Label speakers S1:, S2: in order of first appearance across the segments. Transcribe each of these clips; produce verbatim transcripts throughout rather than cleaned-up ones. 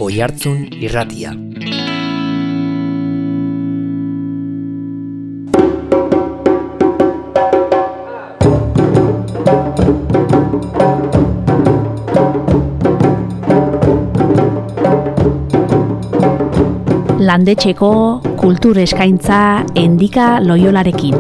S1: Oihartzun Irratia.
S2: Landetxeko kultur eskaintza Endika Loiolarekin.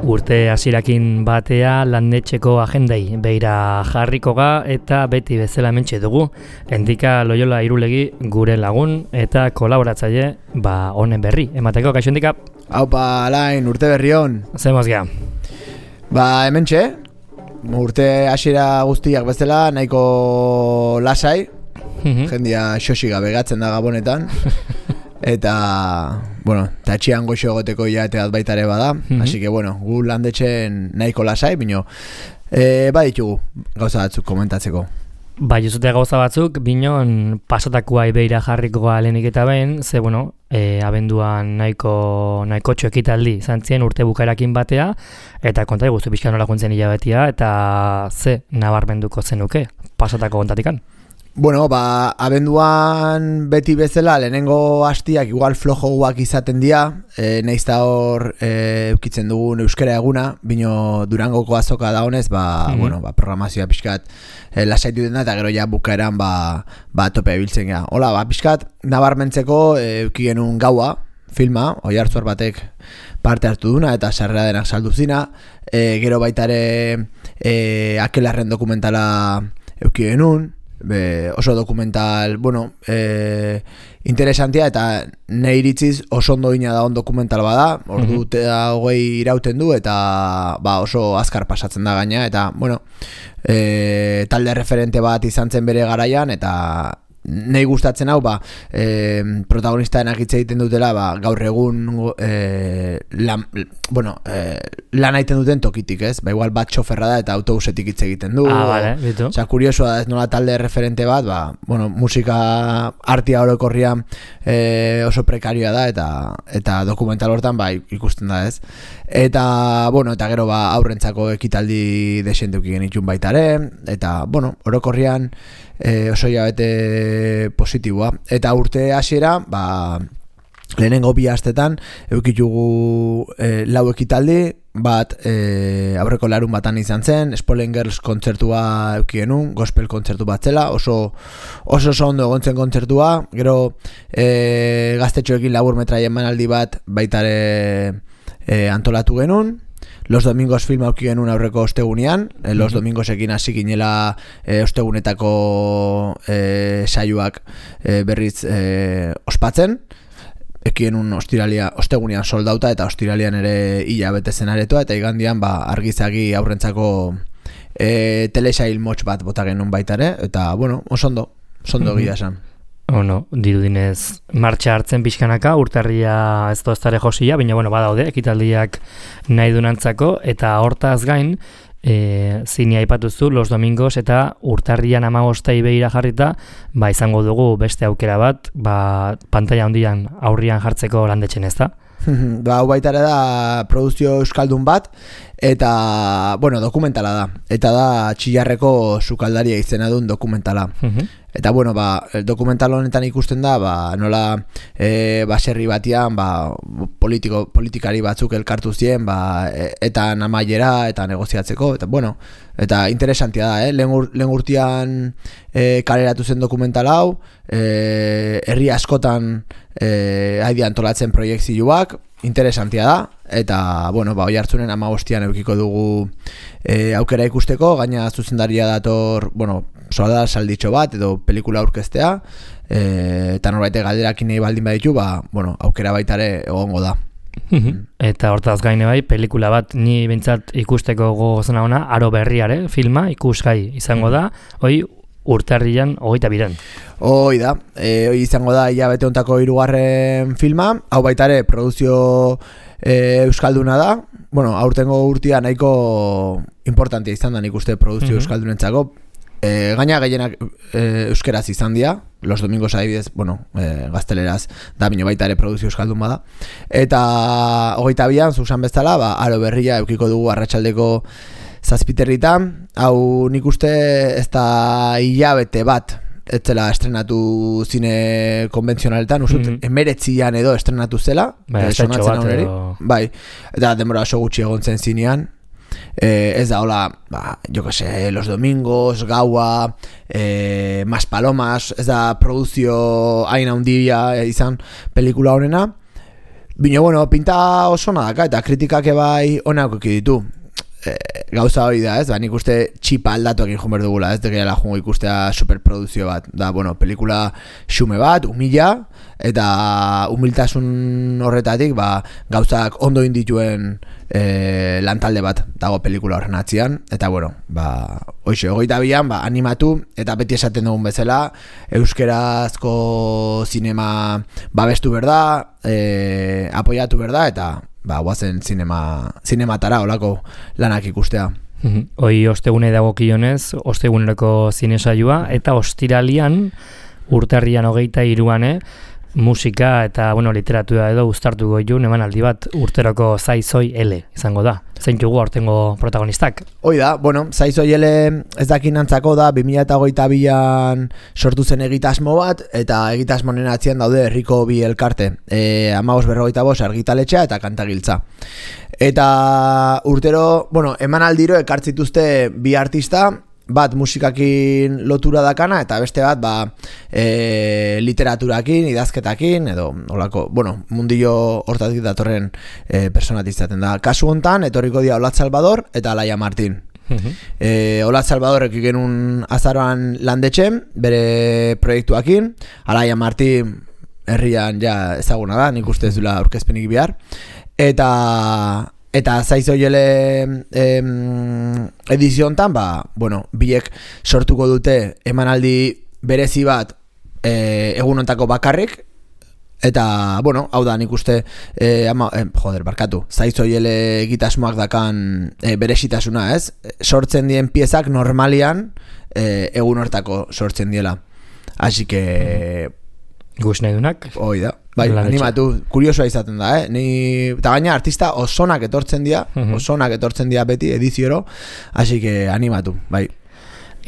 S1: Urte hasierakin batea landetxeko agendai beira jarriko ga eta beti bezala hementxe dugu. Endika Loiola Irulegi gure lagun eta kolaboratzaile ba honen berri. Emateko, kaixo Endika?
S3: Aupa, Alain, urte berri hon.
S1: Zemos gea.
S3: Ba, hementxe, urte hasiera guztiak bezala nahiko lasai.
S1: Mhm.
S3: Jendia xoxi gabe gatzen da Gabonetan. Eta, bueno, tatxian goxo egoteko jateat baita ere bada.
S1: Mhm.
S3: Así que, bueno, gu landetxen nahiko lasai, bino, e, baditugu gauza batzuk komentatzeko.
S1: Bai, jozute gauza batzuk, binon pasatakoa ibeira jarriko lehenik eta behin, ze, bueno, e, abenduan nahiko, nahiko txoekitaldi zantzien urte bukaerakin batea, eta konta guztu pixka nola juntzen hilabetia, eta ze nabarmenduko zenuke pasatako kontatikan.
S3: Bueno, ba, abenduan beti bezala lehenengo hastiak igual flojoak izaten dira, e, nahiz da hor e, eukitzen dugun euskara eguna, bino Durangoko azoka da honez, ba, mm-hmm. bueno, ba, programazioa pixkat e, lasaitu den da, eta gero ja bukaeran ba, ba tope biltzen gara. Hola, ba, pixkat nabarmentzeko e, euki genuen gaua, filma, Oihartzun batek parte hartu duna eta sarrera denak saldu zina, e, gero baitare e, Akelarren dokumentala euki genuen, Be, oso dokumental, bueno, e, interesantia eta nahi iritziz oso ondo ina da on dokumental bada, ordu mm-hmm. eta hogei irauten du eta ba, oso azkar pasatzen da gaina eta, bueno, e, talde referente bat izan zen bere garaian eta nahi gustatzen hau, ba, e, protagonistaenak hitz egiten dutela, ba, gaur egun e, lan, bueno, e, lan egiten duten tokitik, ez? Ba, igual bat txoferra da eta autobusetik hitz egiten du.
S1: Ah, vale, bitu.
S3: Osea, kuriosoa da, ez nola talde referente bat, ba, bueno, musika artia orokorrian e, oso prekarioa da eta eta dokumental hortan ba, ikusten da, ez? Eta, bueno, eta gero ba, aurrentzako ekitaldi desenteuki genitxun baitare, eta, bueno, orokorrian E, oso jabete positiboa. Eta urte hasiera, ba, lehenengo bi astetan eukitugu e, lau ekitaldi, bat e, aurreko larun batan izan zen, Spoilen Girls kontzertua euki genuen, gospel kontzertu bat zela, oso oso oso ondo egon zen kontzertua, gero e, gaztetxoekin labur metraien manaldi bat baitare e, antolatu genuen. Los Domingos film auki genuen aurreko ostegunean, eh, Los Domingosekin hasi ginela eh, ostegunetako eh, saioak eh, berriz eh, ospatzen, eki genuen ostiralia, ostegunean soldauta eta ostiralian ere hilabete zen aretoa, eta igandian ba, argizagi aurrentzako eh, telesail motx bat bota genuen baitare, eta bueno, osondo, osondo egia esan.
S1: Oh no, dirudinez martxa hartzen pixkanaka, urtarria ez doztare josia, baina bueno, badaude, ekitaldiak nahi dunantzako, eta hortaz gain, e, zini aipatuzu, Los Domingos eta urtarrian amagostei behira jarrita, ba izango dugu beste aukera bat, ba pantalla handian aurrian jartzeko landetxen, ez da?
S3: Ba, hau baitare da produzio euskaldun bat, eta, bueno, dokumentala da, eta da Txillarreko sukaldaria izena duen dokumentala. Eta, bueno, ba, dokumental honetan ikusten da, ba, nola e, baserri batian, ba, politiko, politikari batzuk elkartu zien, ba, e, eta amaiera, eta negoziatzeko, eta, bueno, eta interesantia da, eh? Lehen, ur, lehen urtean e, kaleratu zen dokumental hau, e, herri askotan e, haidi antolatzen proiektzioak, interesantia da, eta, bueno, ba, Oihartzunen hamabostian eukiko dugu e, aukera ikusteko, gaina zuzendaria dator, bueno, sola salditxo bat edo pelikula aurkeztea, e, eta norbait galderakin nahi baldin baditu, ba, bueno, aukera baitare egongo da.
S1: Eta hortaz gaine bai, pelikula bat ni bintzat ikusteko gogozena ona, Aro Berriare filma ikusgai izango da, hoi urtarrian hogeita biran.
S3: Hoi da, e, hoi izango da hilabete hontako hirugarren filma, hau baitare produzio e, euskalduna da, bueno, aurtengo urtia nahiko importantea izan da nik uste produzio mm-hmm. euskaldunentzako, E, gaina gehienak e, euskeraz izan dira, Los Domingos adibidez, bueno, e, gazteleraz da bino baita ere produzio euskaldun bada. Eta hogeita bian, zuzan bezala, ba, aro berria eukiko dugu arratsaldeko zazpiterritan. Hau nik uste ez da hilabete bat etzela estrenatu zine konbentzionaletan, usut, mm-hmm. emeretzian edo estrenatu zela.
S1: Bai,
S3: e, sonatzen hau neri. Bai, eta denbora oso gutxi egon zen zinean. Eh, ez da, hola, ba, jo que sé, Los Domingos, Gaua, eh, Mas Palomas, ez da produzio hain handia izan pelikula honena. Bino, bueno, pinta oso nadaka eta kritikak ebai onako ditu. Eh, gauza hori da, ez? Ba, nik uste txipa aldatu egin joan berdugula, ez? Dekela jungo ikustea superproduzio bat. Da, bueno, pelikula xume bat, humila, eta humiltasun horretatik, ba, gauzak ondo indituen e, lantalde bat dago pelikula horren atzian. Eta, bueno, ba, hoxe, hogeita bian, ba, animatu, eta beti esaten dugun bezala, euskerazko zinema babestu berda, e, apoiatu berda, eta ba, guazen zinema, zinematara olako lanak ikustea.
S1: Hoi ostegune dagokionez, osteguneroko zinesaioa, eta ostiralian, urtarrian hogeita hiruan, musika eta bueno, literatura edo uztartuko jun emanaldi bat urteroko Zaizoi Ele izango da. Zeintzugu aurtengo protagonistak?
S3: Hoi da, bueno, Zaizoi Ele ez dakin antzako da bi mila hogeita bian sortu zen egitasmo bat, eta egitasmo honen atzean daude herriko bi elkarte, e, hamabost berrogeita bost argitaletxea eta kantagiltza. Eta urtero, bueno, emanaldiro ekartzituzte bi artista, bat musikakin lotura dakana eta beste bat ba, e, literaturakin, idazketakin edo olako, bueno, mundillo hortatik datorren e, personat izaten da. Kasu hontan etorriko dira Olatz Salvador eta Alaia Martin. Uh-huh. e, Olatz Salvadorek genuen azaroan landetxen bere proiektuakin, Alaia Martin herrian ja ezaguna da, nik uste ez dula aurkezpenik bihar, eta Eta Zaizoi Ele em, ediziontan, ba, bueno, biek sortuko dute emanaldi berezi bat e, egunontako bakarrik. Eta, bueno, hau da, nik uste, e, ama, e, joder, barkatu, Zaizoi Ele egitasmoak dakan e, berezitasuna, ez? Sortzen dien piezak normalian e, egun hortako sortzen diela. Así que
S1: Gus nahi dunak.
S3: Hoi da. Bai, animatu, kuriosoa izaten da, eh? Ni, eta gaina artista osonak etortzen dira, uh-huh. osonak etortzen dira beti edizioro, hasi que animatu, bai.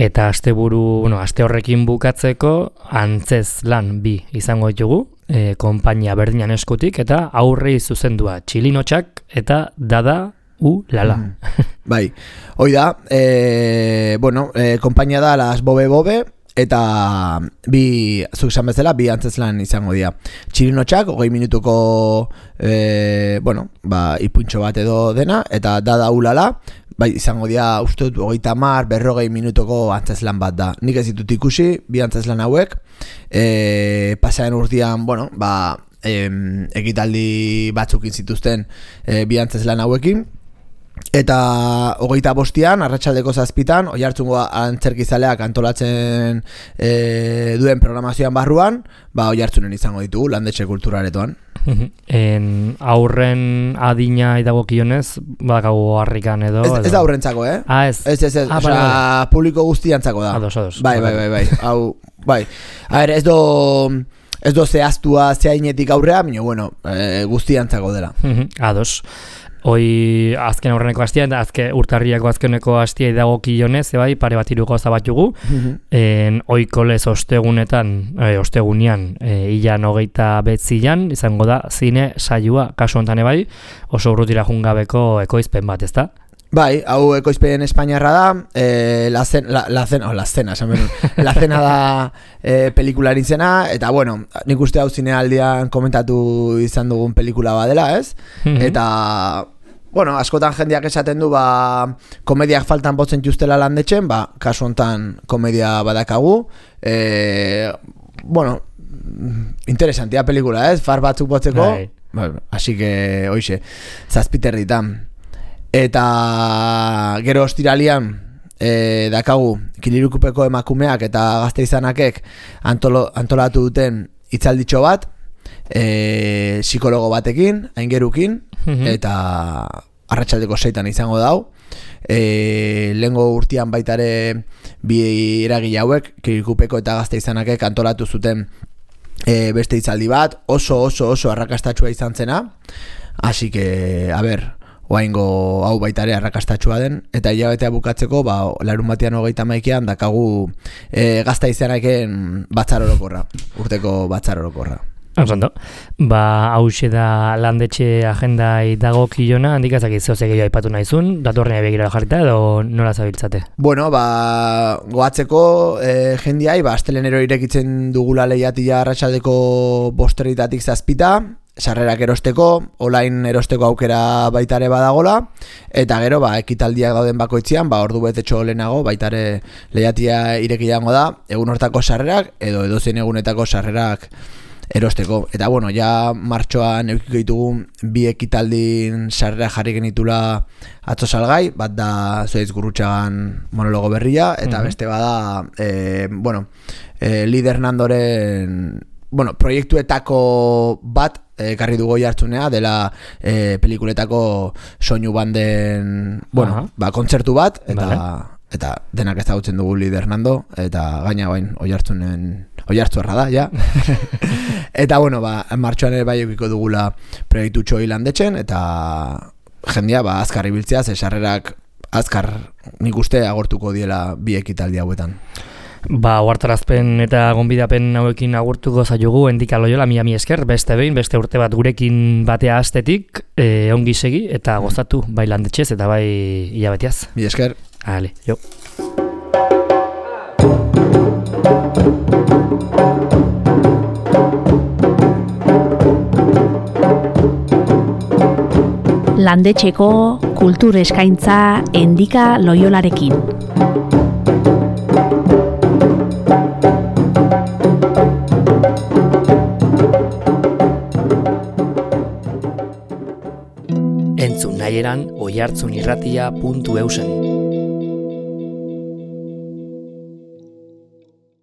S1: Eta asteburu, bueno, aste horrekin bukatzeko antzez lan bi izango ditugu, e, konpainia berdinan eskutik, eta aurrei zuzendua txilinotxak eta dada u lala.
S3: Mm. Bai, hoi da, e, bueno, e, konpainia da Las Bobe Bobe, eta bi, zuk esan bezala, bi antzeslan izango dira. Txilinotxak, hogei minutuko e, bueno, ba, ipuntxo bat edo dena, eta dada ulala, bai, izango dira, uste dut, hogeita hamar, berrogei minutuko antzeslan bat da. Nik ez ditut ikusi, bi antzeslan hauek, e, pasean urtean, bueno, ba, e, egitaldi batzukin zituzten e, bi antzeslan hauekin, eta hogeita bostian, arratsaldeko zazpitan, Oiartzungo antzerkizaleak antolatzen e, duen programazioan barruan, ba Oiartzunen izango ditugu, landetxe kulturaretoan.
S1: En aurren adina idagokionez, bakago harrikan edo...
S3: Ez, ez da aurrentzako, eh?
S1: Ah, ez.
S3: Ez, ez, ez,
S1: ah,
S3: oza,
S1: vale.
S3: Publiko guztiantzako da.
S1: Ados, ados.
S3: Bai, bai, bai, bai, hau, bai. A ver, ez do... Ez do zehaztua zehainetik aurrea, baina, bueno, e, guztiantzako dela.
S1: Ados. Hoi azken aurreneko hastia eta azken urtarriako azkeneko hastia idagokionez, bai, pare bat hiru gauza bat jugu. En ohiko lez ostegunetan, e, ostegunean, e, ilan hogeita betzian izango da zine saioa kasu hontan bai, oso urrutira jungabeko ekoizpen bat, ezta?
S3: Bai, hau ekoizpen espainiarra da, eh, la cena, la, la cena, oh, la cena, la cena da eh, pelikularen zena, eta bueno, nik uste hau zinealdian komentatu izan dugun pelikula badela, ez? Mm-hmm. Eta, bueno, askotan jendeak esaten du, ba, komediak faltan botzen justela landetxen, ba, kasu hontan komedia badakagu, eh, bueno, interesantia pelikula, ez? Far batzuk botzeko, bueno, así que, hoxe, zazpiterritan. Eta gero ostiralian e, dakagu Kilirukupeko emakumeak eta gazte izanakek antolo, antolatu duten hitzalditxo bat, e, psikologo batekin, aingerukin, mm-hmm. eta arratsaldeko seitan izango dau. e, lehengo urtean baitare bi eragile hauek, Kirikupeko eta Gasteizanakek antolatu zuten e, beste hitzaldi bat, oso oso oso arrakastatsua izan zena, así que, a ber, oaingo hau baitare arrakastatsua den, eta hilabetea bukatzeko, ba, larun batean hogeita hamaikan dakagu e, Gasteizanaken batzar orokorra, urteko batzar orokorra.
S1: Osondo, ba, hause da landetxe agendai dago kilona, handik ezakit zehoze gehiago aipatu nahizun, datorrenea begira jarrita edo nola zabiltzate?
S3: Bueno, ba, goatzeko e, jendiai, ba, astelenero irekitzen dugula lehiatia arratsaldeko bosterritatik zazpita, sarrerak erosteko, online erosteko aukera baitare badagola, eta gero, ba, ekitaldiak dauden bakoitzean, ba, ordu betetxo lehenago, baitare lehiatia irekiango da, egun hortako sarrerak, edo edozein egunetako sarrerak erosteko. Eta bueno, ja martxoan eukiko ditugu bi ekitaldin sarrera jarri genitula atzo salgai, bat da Zuaitz Gurrutxagan monologo berria, eta mm-hmm. beste bada e, bueno, e, Lider Nandoren bueno, proiektuetako bat ekarri dugu jartzunea, dela e, pelikuletako soinu banden bueno, uh-huh. ba, kontzertu bat, eta vale. Eta denak ezagutzen dugu Lider Nando, eta gaina bain oihartzunen oihartzuarra da, ja. Eta bueno, ba, martxoan ere bai eukiko dugula proiektu txoi landetxen, eta jendia ba, azkar ibiltzea, ze sarrerak azkar nik uste agortuko diela bi ekitaldi hauetan.
S1: Ba, ohartarazpen eta gonbidapen hauekin agurtuko zaiogu Endika Loyola, mila mi esker, beste behin, beste urte bat gurekin batea astetik, e, ongi segi eta gozatu, bai landetxez eta bai hilabeteaz.
S3: Mi esker.
S1: Ale, jo.
S2: Landetxeko kultur eskaintza Endika Loyolarekin.
S1: Entzun nahieran oihartzunirratia puntu eusen.